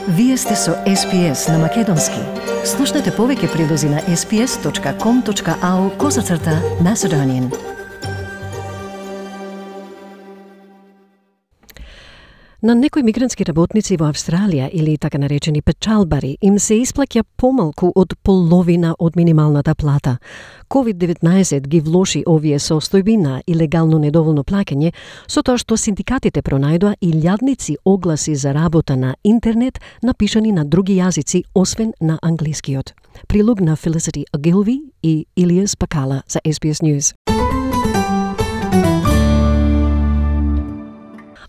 Вие сте со SPS на Македонски. Слушнете повеќе прилози на sps.com.au/Macedonian. На некои мигрантски работници во Австралија или така наречени печалбари им се исплаќа помалку од половина од минималната плата. COVID-19 ги влоши овие состојби на илегално недоволно плаќање, со тоа што синдикатите пронајдоа илјадници огласи за работа на интернет напишани на други јазици освен на англискиот. Прилог на Felicity Ogilvie и Илиас Пакала за SBS News.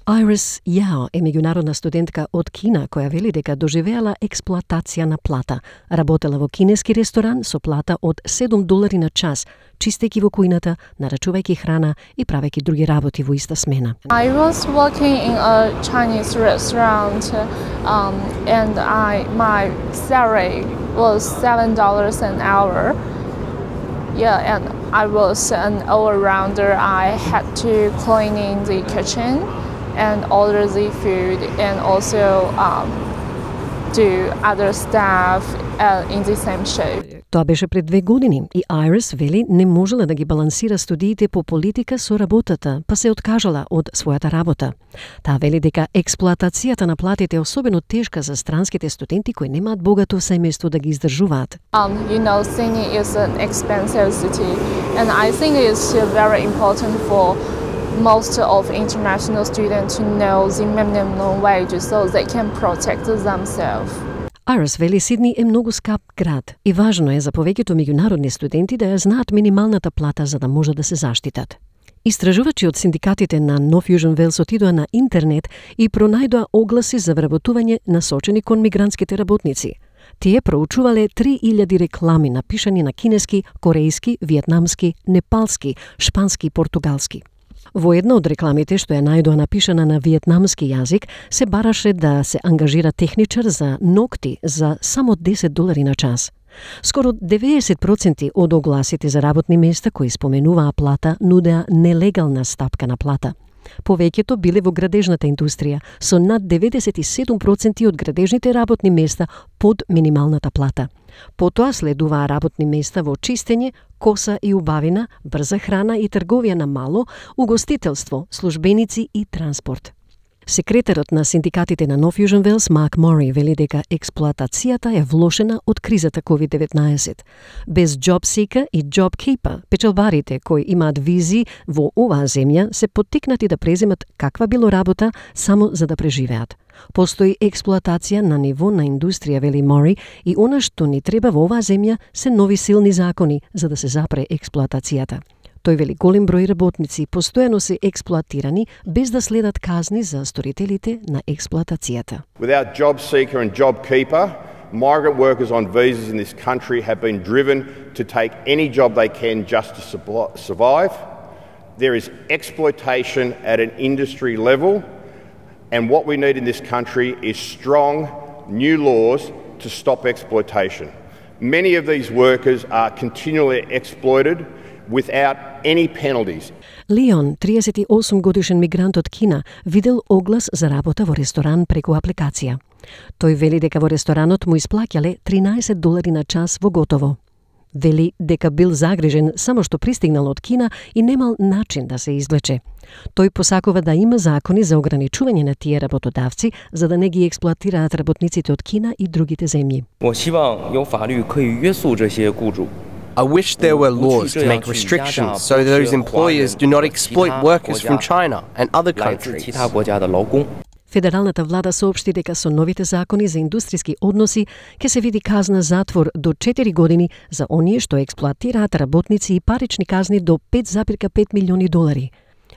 Iris Yao е меѓународна студентка од Кина која вели дека доживеала експлоатација на плата. Работела во кинески ресторан со плата од $7 на час, чистејќи во кујната, нарачувајќи храна и правејќи други работи во иста смена. I was working in a Chinese restaurant and my salary was $7 an hour. Yeah, and I was an all-rounder. I had to cleaning the kitchen and order the food and also do other stuff in the same shift. Тоа беше пред 2 години и Iris вели не можела да ги балансира студиите по политика со работата, па се откажала од својата работа. Таа вели дека експлоатацијата на платите е особено тешка за странските студенти кои немаат богато семејство да ги издржуваат. Sydney is an expensive city and I think it's very important for most of international students to know the minimum wage so they can protect themselves. Iris вели Сидни е многу скап град и важно е за повеќето меѓународни студенти да ја знаат минималната плата за да може да се заштитат. Истражувачи од синдикатите на North Fusion Wales отидоа на интернет и пронајдоа огласи за вработување насочени кон мигрантските работници. Тие проучувале 3000 реклами напишани на кинески, корејски, виетнамски, непалски, шпански и португалски. Во една од рекламите што ја најдоа напишана на виетнамски јазик, се бараше да се ангажира техничар за ногти за само $10 на час. Скоро 90% од огласите за работни места кои споменуваа плата нудеа нелегална стапка на плата. Повеќето биле во градежната индустрија, со над 97% од градежните работни места под минималната плата. Потоа следуваа работни места во чистење, коса и убавина, брза храна и трговија на мало, угостителство, службеници и транспорт. Секретарот на синдикатите на North Fusion Wales, Mark Murray, вели дека експлоатацијата е влошена од кризата COVID-19. Без JobSeeker и JobKeeper, печалбарите кои имаат визи во оваа земја се поттикнати да преземат каква било работа само за да преживеат. Постои експлоатација на ниво на индустрија, вели Мори, и она што ни треба во оваа земја се нови силни закони за да се запре експлоатацијата. Тој вели голем број работници постојано се експлоатирани без да следат казни за сторителите на експлоатацијата. Without JobSeeker and JobKeeper, migrant workers on visas in this country have been driven to take any job they can just to survive. There is exploitation at an industry level, and what we need in this country is strong new laws to stop exploitation. Many of these workers are continually exploited without any penalties. Леон, 38 годишен мигрант од Кина, видел оглас за работа во ресторан преку апликација. Тој вели дека во ресторанот му исплаќале $13 на час во готово. Вели дека бил загрижен само што пристигнал од Кина и немал начин да се извлече. Тој посакува да има закони за ограничување на тие работодавци за да не ги експлоатираат работниците од Кина и другите земји. I wish there were laws to make restrictions so those employers do not exploit workers from China and other countries. Федералната влада соопшти дека со новите закони за индустријски односи ќе се види казна затвор до 4 години за оние што експлоатираат работници и парични казни до $5,5 милиони.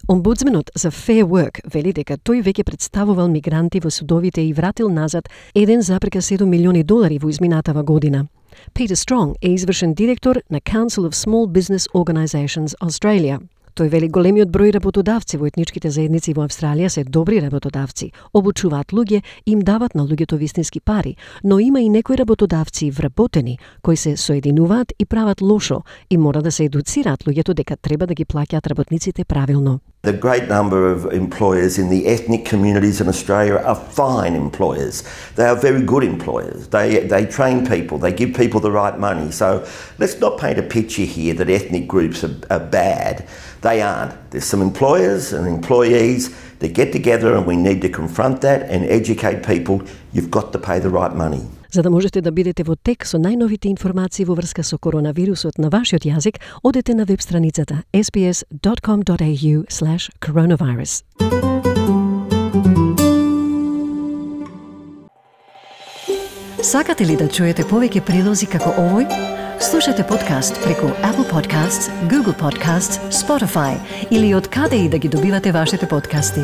Омбудсменот за Fair Work вели дека тој веќе представувал мигранти во судовите и вратил назад $1,7 милиони во изминатава година. Peter Strong е извршен директор на Council of Small Business Organisations Australia. Тој вели големиот број работодавци во етничките заедници во Австралија се добри работодавци, обучуваат луѓе и им дават на луѓето вистински пари, но има и некои работодавци вработени кои се соединуваат и прават лошо и мора да се едуцираат луѓето дека треба да ги плаќаат работниците правилно. The great number of employers in the ethnic communities in Australia are fine employers. They are very good employers. They train people, they give people the right money. So let's not paint a picture here that ethnic groups are bad. They aren't. There's some employers and employees that get together and we need to confront that and educate people. You've got to pay the right money. За да можете да бидете во тек со најновите информации во врска со коронавирусот на вашиот јазик, одете на веб страницата sbs.com.au/coronavirus. Сакате ли да чуете повеќе прилози како овој? Слушате подкаст преку Apple Podcasts, Google Podcasts, Spotify или од каде и да ги добивате вашите подкасти.